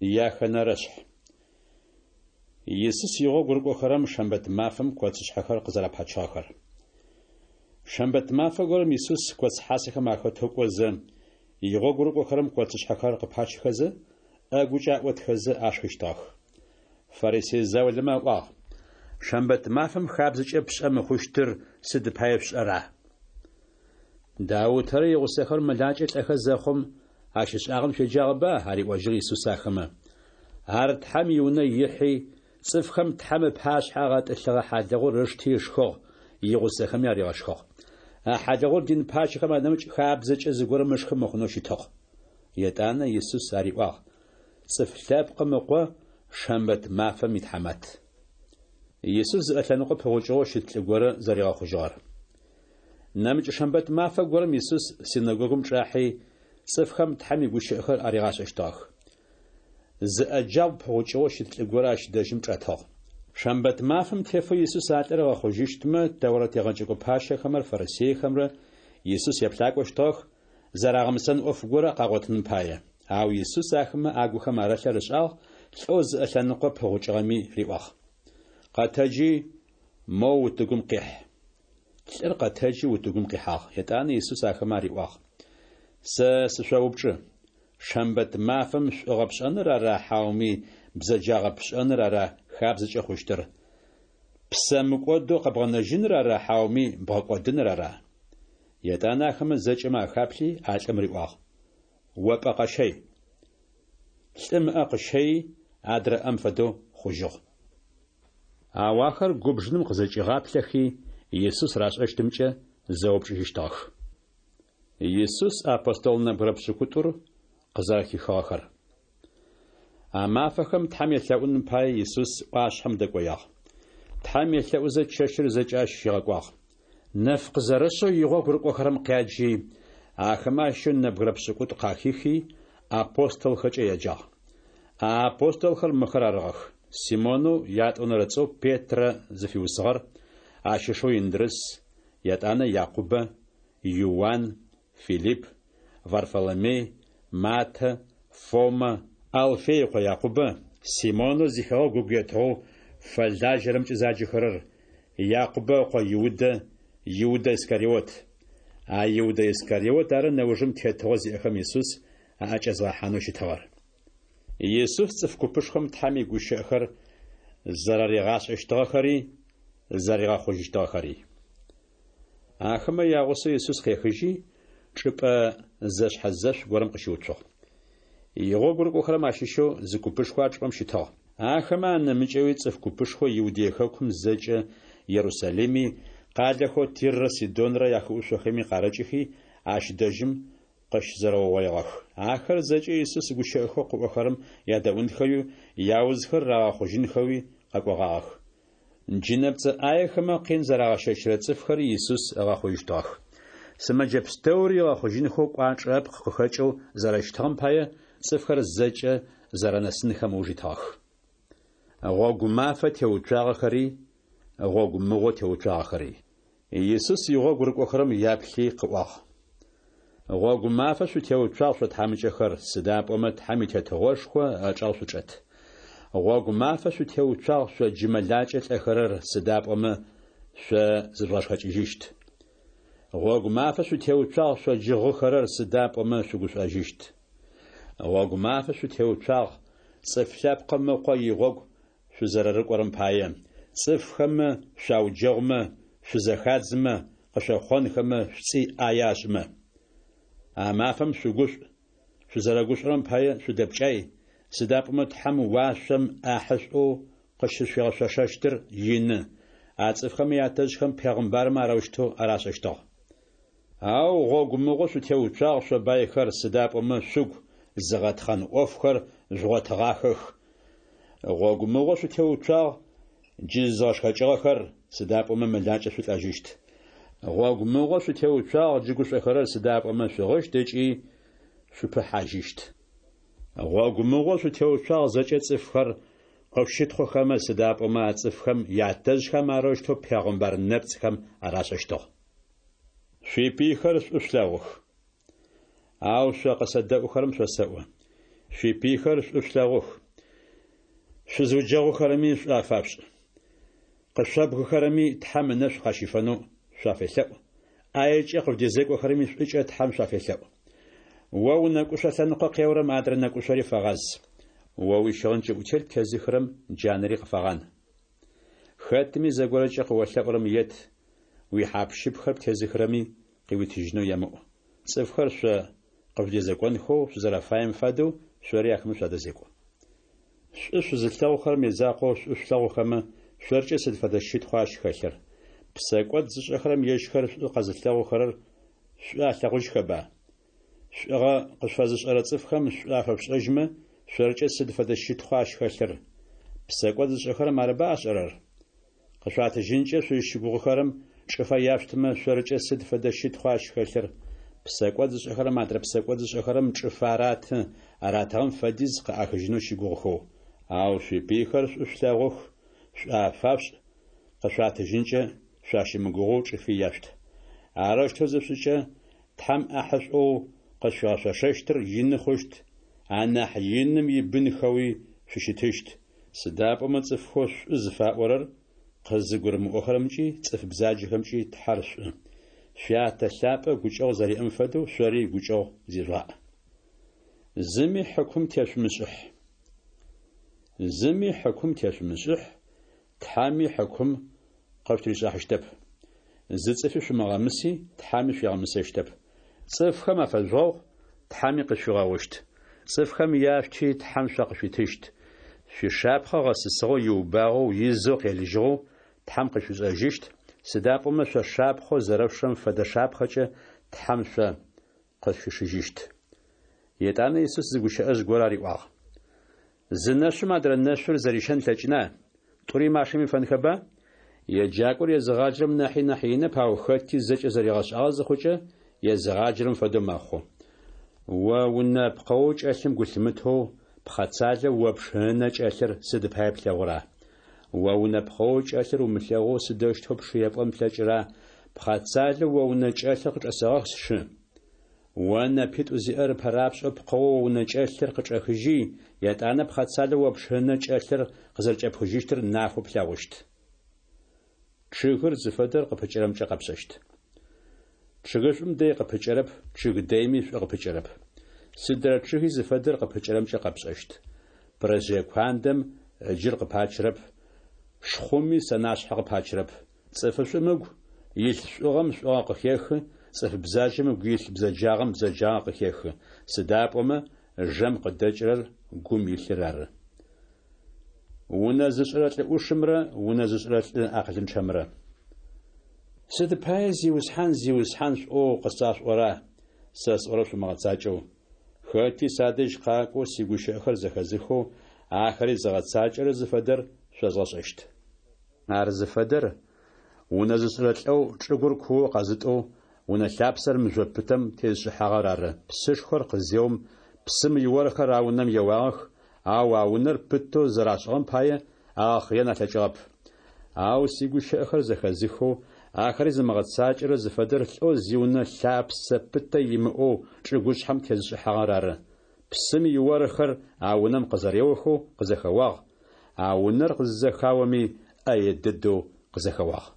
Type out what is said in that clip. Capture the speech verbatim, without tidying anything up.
Яхэнэрэшъхь. Исус игъогу рыкӏохэрэм шэмбэт мафэм коцышъхьэхэр къызэрапачыгъэхэр. Шэмбэт мафэ горэм Исус коц хьасэхэм ахэтэу кӏозэ, игъогу рыкӏохэрэм коцышъхьэхэр къыпачыхэзэ, ӏэгукӏэ аӏотхэзэ ашхыщтыгъэх. Фарисей заулэмэ аӏуагъ: Шэмбэт мафэм хабзэкӏэ пшӏэ мыхъущтыр сыд пае шъушӏэра? Даутэрэ игъусэхэр мэлакӏэ лӏэхэ зэхъум ащ ышӏагъэм шъуеджагъэба? Ариӏожьыгъ Исус ахэмэ. Ар Тхьэм иунэ ихьи, цӏыфхэм Тхьэм ыпашъхьэ агъэтӏылъыгъэ хьалыгъур ышти ышхыгъ, игъусэхэми аригъэшхыгъ. А хьалыгъур дин пащэхэм анэмыкӏ хабзэкӏэ зыгорэм ышхы мыхъунэу щытыгъ. Етӏанэ Исус ариӏуагъ: Цӏыф Лъэпкъым Ыкъо шэмбэт мафэм итхьамат. Исус зыӏэ лъэныкъо пыгъукӏыгъэу щыт лӏы горэ зэригъэхъужьыгъэр. Нэмыкӏ шэмбэт мафэ горэм Исус синэгогум чӏахьи, цӏыфхэм Тхьэм игущыӏэхэр аригъашӏэщтыгъэх. Зыӏэ джабгъу пыгъукӏыгъэу щыт лӏы горэ ащ дэжьым чӏэтыгъ. Шэмбэт мафэм тефэу Исус а лӏыр ыгъэхъужьыщтмэ, Тэурэт егъэджэкӏо пащэхэмрэ фарисейхэмрэ Исус еплъакӏощтыгъэх, зэрагъэмысэн ӏоф горэ къагъотыным пае. Ау Исус ахэмэ агухэм арылъыр ышӏагъ, лӏэу зыӏэ лъэныкъо пыгъукӏыгъэми риӏуагъ: Къэтэджи, моу утыгум къихь. Лӏыр къэтэджи утыгум къихьагъ. Етӏанэ Исус ахэмэ ариӏуагъ: Сэ сышъоупчӏы, шэмбэт мафэм шӏугъэ пшӏэныр ара хьауми бзэджагъэ пшӏэныр ара хабзэкӏэ хъущтыр? Псэ мыкӏодэу къэбгъэнэжьыныр ара хьауми бгъэкӏодыныр ара? Етӏанэ ахэмэ зэкӏэмэ ахаплъи, а лӏым риӏуагъ: О пӏэ къэщэй. Лӏым ыӏэ къыщэйи, адрэ ӏэм фэдэу хъужьыгъ. Ау ахэр губжыным къызэкӏигъаплъэхи, Исус рашӏэщтымкӏэ зэупчӏыжьыщтыгъэх. Исус апостол нэбгырэ пшӏыкӏутӏур къызэрэхихыгъэхэр. А мафэхэм Тхьэм елъэӏуным пае Исус ӏуашъхьэм дэкӏоягъ. Тхьэм елъэӏузэ чэщыр зэкӏэ ащ щигъэкӏуагъ. Нэф къызэрэшъэу игъогу рыкӏохэрэм къяджи, ахэмэ ащыщэу нэбгырэ пшӏыкӏутӏу къахихи, апостолхэкӏэ еджагъ. А апостолхэр мыхэр арыгъэх: Симонэу ятӏонэрэ цӏэу Петрэ зыфиусыгъэр, ащ ышэу Индрыс, етӏанэ Якъубэ, Иуан, Филипп, Варфоломей, Матэ, Фомэ, Алфей ыкъо Якъубэ, Симонэу зихэгъэгу ыгу етыгъэу фэлажьэрэмкӏэ заджэхэрэр, Якъубэ ыкъо Иудэ, Иудэ Искариот. А Иудэ Искариот ары нэужым тетыгъо зиӏэхэм Исус аӏэкӏэзгъэхьанэу щытыгъэр. Исус цӏыф купышхом Тхьэм игущыӏэхэр зэраригъашӏэщтыгъэхэри, зэригъэхъужьыщтыгъэхэри. Ахэмэ ягъусэу Исус къехыжьи, чӏыпӏэ зэшъхьэзэшъу горэм къыщыуцугъ. Игъогу рыкӏохэрэм ащыщэу зы купышхо а чӏыпӏэм щытыгъ. Ахэмэ анэмыкӏэуи цӏыф купышхо Иудей хэкум зэкӏэ, Ерусалими, къалэхэу Тиррэ Сидонрэ яхыӏушъохэми къарыкӏыхи, ащ дэжьым къыщызэрэугъоигъэх. Ахэр зэкӏэ Исус гущыӏэхэу къыӏохэрэм ядэӏунхэуи, яузхэр рагъэхъужьынхэуи къэкӏогъагъэх. Джынэпцӏэ ӏаехэмэ къин зэрагъэщэчырэ цӏыфхэри Исус ыгъэхъужьыщтыгъэх. Сымэджэ пстэури ыгъэхъужьынхэу кӏуачӏэ ыпкъ къыхэкӏэу зэрэщытыгъэм пае цӏыфхэр зэкӏэ зэрэнэсынхэм ыуж итыгъэх. Гъогу мафэ теуцуагъэхэри, гъогу мыгъо теуцуагъэхэри. Исус игъогу рыкӏохэрэм яплъи къыӏуагъ: Гъогу мафэ шъутеуцуагъ шъо тхьамыкӏэхэр, сыда пӏомэ Тхьэм и Тетыгъошхо ычӏэгъ шъучӏэт. Гъогу мафэ шъутеуцуагъ шъо джы мэлакӏэ лӏэхэрэр, сыда пӏомэ шъо зыжъугъэшхэкӏыжьыщт. Гъогу мафэ шъутеуцуагъ шъо джы гъыхэрэр, сыда пӏомэ шъугушӏожьыщт. Гъогу мафэ шъутеуцуагъ цӏыф Лъэпкъым Ыкъо игъогу шъузэрэрыкӏорэм пае, цӏыфхэмэ шъуауджэгъумэ, шъузэхадзымэ, къышъохъонхэмэ, шъуцӏи ӏае ашӏымэ. А мафэм шъугушӏу, шъузэрэгушӏорэм пае шъудэпкӏай, сыда пӏомэ Тхьэм уашъом ӏахьышӏоу къыщышъуигъэшъошэщтыр ины, а цӏыфхэм ятэжъхэм пегъымбармэ арэущтэу арашӏэщтыгъ. Ау гъогу мыгъо шъутеуцуагъ шъо байхэр, сыда пӏомэ шъугу зыгъэтхъэн ӏофхэр жъугъотыгъахэх. Гъогу мыгъо шъутеуцуагъ джы зызгъэшхэкӏыгъэхэр, сыда пӏомэ мэлакӏэ шъулӏэжьыщт. Гъогу мыгъо шъутеуцуагъ джы гушӏохэрэр, сыда пӏомэ шъугъыщт ыкӏи шъупыхьажьыщт. Гъогу мыгъо шъутеуцуагъ зэкӏэ цӏыфхэр къышъущытхъухэмэ, сыда пӏомэ а цӏыфхэм ятэжъхэм арэущтэу пегъымбар нэпцӏхэм арашӏэщтыгъ. Шъуипыйхэр шӏу шъулъэгъух. Ау шъо къысэдэӏухэрэм шъосэӏо: Шъуипыйхэр шӏу шъулъэгъух, шъузыуджэгъухэрэми шӏу афашъушӏ. Къышъобгыхэрэми Тхьэм ынэшӏу къащифэнэу шъуафелъэӏу, ӏаекӏэ къыжъудезекӏохэрэми шӏукӏэ Тхьэм шъуафелъэӏу. О унэкӏушъо лъэныкъо къеорэм адрэ нэкӏушъори фэгъаз. О уищыгъын кӏыӏутелъ птезыхырэм джанэри къыфэгъан. Хэтми зыгорэкӏэ къыолъэӏурэм ет, уихьап-щыпхэр птезыхырэми къыуитыжьынэу емыӏу. Цӏыфхэр шъо къыжъудэзекӏонхэу шъузэрэфаем фэдэу шъори ахэмэ шъуадэзекӏу. Шӏу шъузылъэгъухэрэм язакъоу шӏу шъулъэгъухэмэ, шъоркӏэ сыд фэдэ щытхъуа ащ хэлъыр? Псэкӏод зышӏэхэрэм ежьхэр шӏу къэзылъэгъухэрэр шӏу алъэгъужьхэба? Шӏугъэ къышъуфэзышӏэрэ цӏыфхэм шӏу афэшъушӏэжьмэ, шъоркӏэ сыд фэдэ щытхъуа ащ хэлъыр? Псэкӏод зышӏэхэрэм арыба ашӏэрэр? Къышъуатыжьынкӏэ шъузщыгугъыхэрэм чӏыфэ яшъутымэ, шъоркӏэ сыд фэдэ щытхъуа ащ хэлъыр? Псэкӏод зышӏэхэрэм адрэ псэкӏод зышӏэхэрэм чӏыфэ араты, аратыгъэм фэдиз къыӏахыжьынэу щыгугъыхэу. Ау шъуипыйхэр шӏу шъулъэгъух, шӏу афашъушӏ, къышъуатыжьынкӏэ шъуащымыгугъэу чӏыфи яшъут. Арэущтэу зышъушӏыкӏэ, Тхьэм ӏахьышӏоу къышъуфигъэшъошэщтыр ины хъущт, анахь Иным ибынхэуи шъущытыщт, сыда пӏомэ цӏыфхэу шӏу зыфаӏорэр къызыгурымыӏохэрэмкӏи цӏыф бзаджэхэмкӏи Тхьэр шӏу. Шъуятэ лъапӏэ гукӏэгъу зэриӏэм фэдэу шъори гукӏэгъу зижъугъаӏ. Зыми хьыкум тешъумышӏыхь. Зыми хьыкум тешъумышӏыхь, Тхьэми хьыкум къышъутыришӏыхьащтэп. Зы цӏыфи шъумыгъэмыси, Тхьэми шъуигъэмысэщтэп. Цӏыфхэм афэжъугъэгъу, Тхьэми къышъуфигъэгъущт. Цӏыфхэм яшъути, Тхьэм шъо къышъуитыщт. Шъуишапхъэ гъэсысыгъэу, иубагъэу, изэу къелыжьыгъэу Тхьэм къышъуфишӏэжьыщт, сыда пӏомэ шъо шапхъэу зэрэшъушырэм фэдэ шапхъэкӏэ Тхьэм шъо къышъуфишыжьыщт. Етӏанэ Исус зы гущыӏэжъ горэ ариӏуагъ: Зы нэшъум адрэ нэшъур зэрищэн ылъэкӏына? Тӏури машэм ифэнхэба? Еджакӏор езыгъаджэрэм нахьи нахь инэп, ау хэти зэкӏэ зэригъэшӏагъэ зыхъукӏэ, езыгъаджэрэм фэдэу мэхъу. О унэ пкъэоу кӏэлъым гу лъымытэу, пхъэцалэу о пшы ынэ кӏэлъыр сыд пае плъэгъура? О унэ пкъэоу кӏэлъыр умылъэгъоу сыдэущтэу пшы епӏон плъэкӏыра: Пхъэцалэу о унэ кӏэлъыр къычӏэсэгъэх сшы? О нэпитӏу зиӏэр ыпэрапшӏэу пкъэоу о унэ кӏэлъыр къычӏэхыжьи, етӏанэ пхъэцалэу о пшы ынэ кӏэлъыр къызэрэкӏэпхыжьыщтыр нафэу плъэгъущт. Чъыгыр зыфэдэр къыпыкӏэрэмкӏэ къэпшӏэщт. Чъыгышӏум дэй къыпыкӏэрэп, чъыг дэйми шӏу къыпыкӏэрэп. Сыдрэ чъыги зыфэдэр къыпыкӏэрэмкӏэ къэпшӏэщт. Пырэжъые куандэм ыджыр къыпачырэп, шхъуми сэнашъхьэ къыпачырэп. Цӏыфышӏум ыгу илъ шӏугъэм шӏугъэ къыхехы, цӏыф бзаджэм ыгу илъ бзэджагъэм бзэджагъэ къыхехы, сыда пӏомэ жэм къыдэкӏырэр гум илъыр ары. Унэ зышӏырэ лӏы ӏушымрэ унэ зышӏырэ лӏы акъылынчъэмрэ. Сыд пае Зиусхьан, Зиусхьан шъуӏоу къысашъуӏора, сэ сӏорэр шъумыгъэцакӏэу? Хэти садэжь къакӏоу сигущыӏэхэр зэхэзыхэу, ахэри зыгъэцакӏэрэр зыфэдэр шъозгъэшӏэщт. Ар зыфэдэр унэ зышӏырэ лӏэу чӏыгур куоу къэзытӏэу, унэ лъапсэр мыжъо пытэм тезышӏыхьагъэр ары. Псышхор къызеум, псым иорхэр а унэм еуагъэх, ау а унэр пытэу зэрашӏыгъэм пае агъэхъыен алъэкӏыгъэп. Ау сигущыӏэхэр зэхэзыхэу, ахэри зымыгъэцакӏэрэр зыфэдэр лӏэу зиунэ лъапсэ пытэ имыӏэу чӏыгушъхьэм тезышӏыхьагъэр ары. Псым иорхэр а унэм къызэреохэу къызэхэуагъ, а унэр къызызэхаоми ӏэе дэдэу къызэхэуагъ.